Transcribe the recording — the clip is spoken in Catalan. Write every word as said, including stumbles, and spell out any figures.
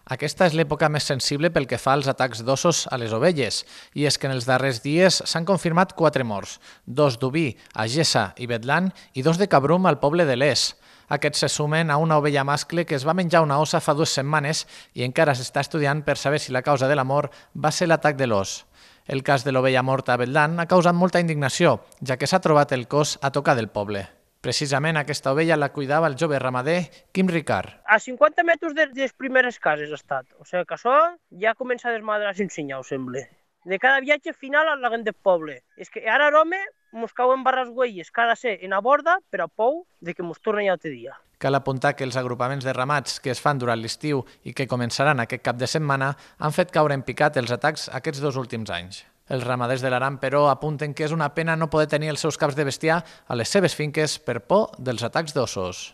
Aquesta és l'època més sensible pel que fa als atacs d'ossos a les ovelles, i és que en els darrers dies s'han confirmat quatre morts, dos d'oví a Gessa i Betlan i dos de cabrum al poble de Les. Aquests se sumen a una ovella mascle que es va menjar una ossa fa dues setmanes i encara s'està estudiant per saber si la causa de la mort va ser l'atac de l'os. El cas de l'ovella morta a Betlan ha causat molta indignació, ja que s'ha trobat el cos a tocar del poble. Precisament aquesta ovella la cuidava el jove ramader Quim Ricard. A cinquanta metres de les primeres cases ha estat. O sigui que això ja comença a desmadrar sin senyal, sembla. De cada viatge final a la gent del poble. És que ara home mos cauen barres güelles que ha de ser en a borda per a pou de que mos tornen altre dia. Cal apuntar que els agrupaments de ramats que es fan durant l'estiu i que començaran aquest cap de setmana han fet caure en picat els atacs aquests dos últims anys. Els ramaders de l'Aran, però, apunten que és una pena no poder tenir els seus caps de bestiar a les seves finques per por dels atacs d'ossos.